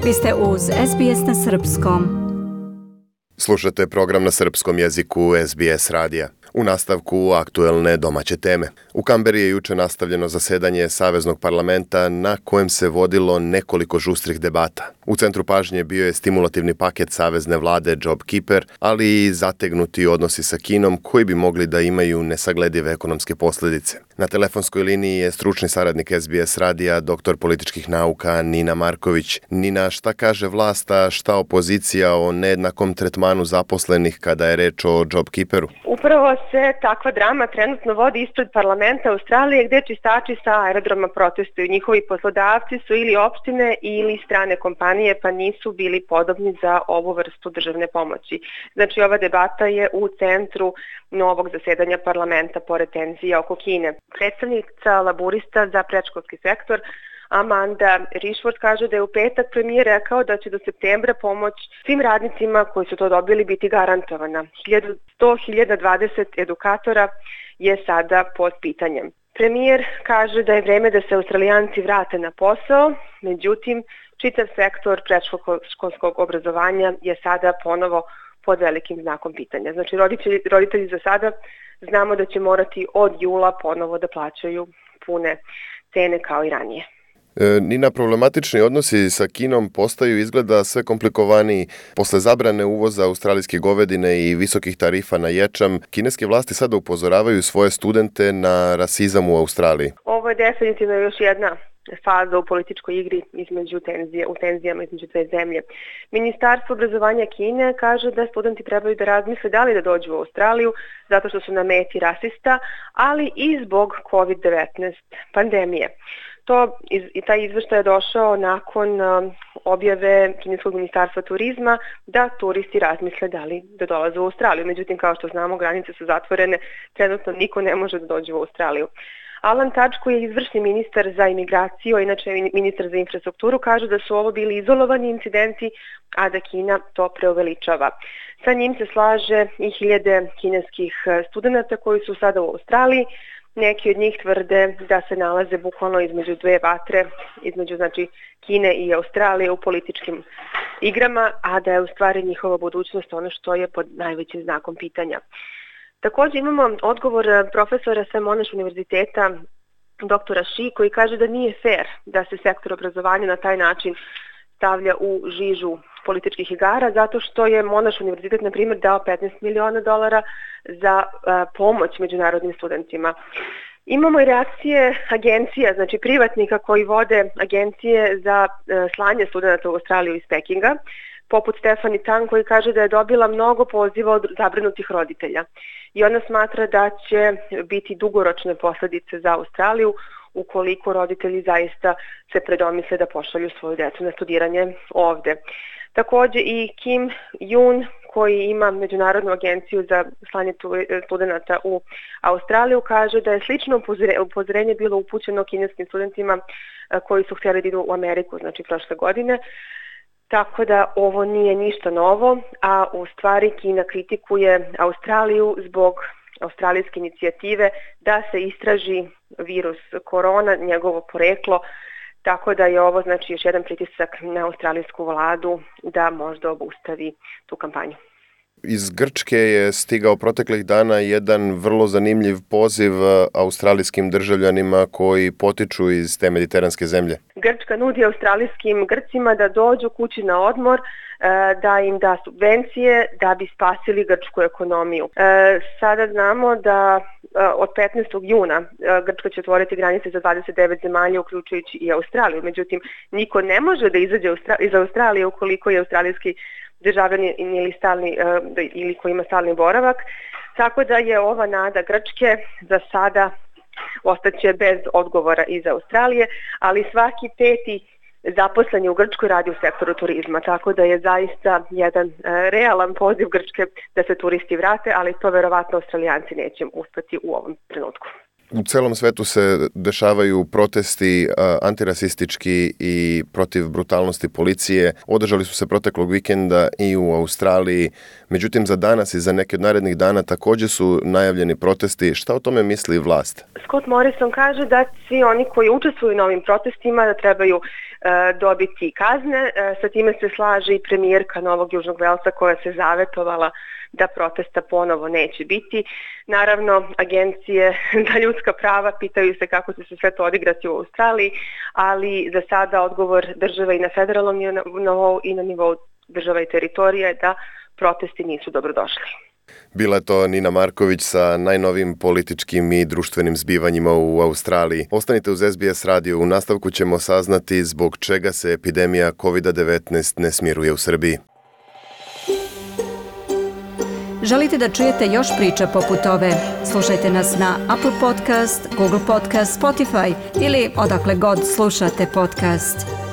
Vi ste uz SBS na Srpskom. Slušate program na srpskom jeziku SBS radija. U nastavku aktuelne domaće teme. U Kamberi je juče nastavljeno zasedanje Saveznog parlamenta na kojem se vodilo nekoliko žustrih debata. U centru pažnje bio je stimulativni paket savezne vlade JobKeeper, ali i zategnuti odnosi sa Kinom koji bi mogli da imaju nesagledive ekonomske posljedice. Na telefonskoj liniji je stručni saradnik SBS radija, doktor političkih nauka Nina Marković. Nina, šta kaže vlast, a šta opozicija o nejednakom tretmanu zaposlenih kada je reč o JobKeeperu? Upravo se takva drama trenutno vodi ispred parlamenta Australije, gde čistači sa aerodroma protestuju. Njihovi poslodavci su ili opštine ili strane kompanije, pa nisu bili podobni za ovu vrstu državne pomoći. Znači, ova debata je u centru novog zasedanja parlamenta pored tenzija oko Kine. Predstavnica laburista za predškolski sektor Amanda Rishworth kaže da je u petak premijer rekao da će do septembra pomoć svim radnicima koji su to dobili biti garantovana. 100.020 edukatora je sada pod pitanjem. Premijer kaže da je vreme da se Australijanci vrate na posao, međutim čitav sektor predškolskog obrazovanja je sada ponovo pod velikim znakom pitanja. Znači roditelji za sada znamo da će morati od jula ponovo da plaćaju pune cene kao i ranije. Nina, problematični odnosi sa Kinom postaju izgleda sve komplikovaniji. Posle zabrane uvoza australijske govedine i visokih tarifa na ječam, kineske vlasti sada upozoravaju svoje studente na rasizam u Australiji. Ovo je definitivno još jedna faza u političkoj igri u tenzijama između dve zemlje. Ministarstvo obrazovanja Kine kaže da studenti trebaju da razmisle da li da dođu u Australiju zato što su na meti rasista, ali i zbog COVID-19 pandemije. Taj izveštaj je došao nakon objave kineskog ministarstva turizma da turisti razmisle da li da dolaze u Australiju. Međutim, kao što znamo, granice su zatvorene, trenutno niko ne može da dođe u Australiju. Alan Tudge, koji je izvršni ministar za imigraciju, a inače ministar za infrastrukturu, kaže da su ovo bili izolovani incidenti, a da Kina to preuveličava. Sa njim se slaže i hiljade kineskih studenata koji su sada u Australiji. Neki od njih tvrde da se nalaze bukvalno između dve vatre, između Kine i Australije u političkim igrama, a da je u stvari njihova budućnost ono što je pod najvećim znakom pitanja. Također imamo odgovor profesora sa Monash univerziteta, doktora Shi, koji kaže da nije fair da se sektor obrazovanja na taj način stavlja u žižu političkih igara, zato što je Monash univerzitet, na primjer, dao $15 miliona za pomoć međunarodnim studentima. Imamo i reakcije agencija, znači privatnika koji vode agencije za slanje studenta u Australiju iz Pekinga, poput Stephanie Tang, koji kaže da je dobila mnogo poziva od zabrinutih roditelja. I ona smatra da će biti dugoročne posljedice za Australiju ukoliko roditelji zaista se predomisle da pošalju svoju decu na studiranje ovde. Također i Kim Yoon, koji ima Međunarodnu agenciju za slanje studenata u Australiju, kaže da je slično upozorenje bilo upućeno kineskim studentima koji su htjeli da idu u Ameriku, znači prošle godine. Tako da ovo nije ništa novo, a u stvari Kina kritikuje Australiju zbog australijske inicijative da se istraži virus korona, njegovo poreklo, tako da je ovo znači još jedan pritisak na australijsku vladu da možda obustavi tu kampanju. Iz Grčke je stigao proteklih dana jedan vrlo zanimljiv poziv australijskim državljanima koji potiču iz te mediteranske zemlje. Grčka nudi australijskim Grcima da dođu kući na odmor, da im da subvencije da bi spasili grčku ekonomiju. Sada znamo da od 15. juna Grčka će otvoriti granice za 29 zemalja, uključujući i Australiju. Međutim, niko ne može da izađe iz Australije ukoliko je australijski državljanin ili koji ima stalni boravak. Tako da je ova nada Grčke za sada ostaće bez odgovora iz Australije, ali svaki peti zaposleni u Grčkoj radi u sektoru turizma, tako da je zaista jedan realan poziv Grčke da se turisti vrate, ali to verovatno Australijanci neće uspeti u ovom trenutku. U celom svetu se dešavaju protesti antirasistički i protiv brutalnosti policije. Održali su se proteklog vikenda i u Australiji. Međutim, za danas i za neke od narednih dana također su najavljeni protesti. Šta o tome misli vlast? Scott Morrison kaže da svi oni koji učestvuju na ovim protestima da trebaju dobiti kazne. Sa time se slaže i premijerka Novog Južnog Velsa koja se zavetovala da protesta ponovo neće biti. Naravno, agencije za ljudska prava pitaju se kako će se sve to odigrati u Australiji, ali za sada odgovor države i na federalnom nivou i na nivou država i teritorija je da protesti nisu dobrodošli. Bila je to Nina Marković sa najnovim političkim i društvenim zbivanjima u Australiji. Ostanite uz SBS radio, u nastavku ćemo saznati zbog čega se epidemija COVID-19 ne smiruje u Srbiji. Želite da čujete još priča poput ove? Slušajte nas na Apple Podcast, Google Podcast, Spotify ili odakle god slušate podcast.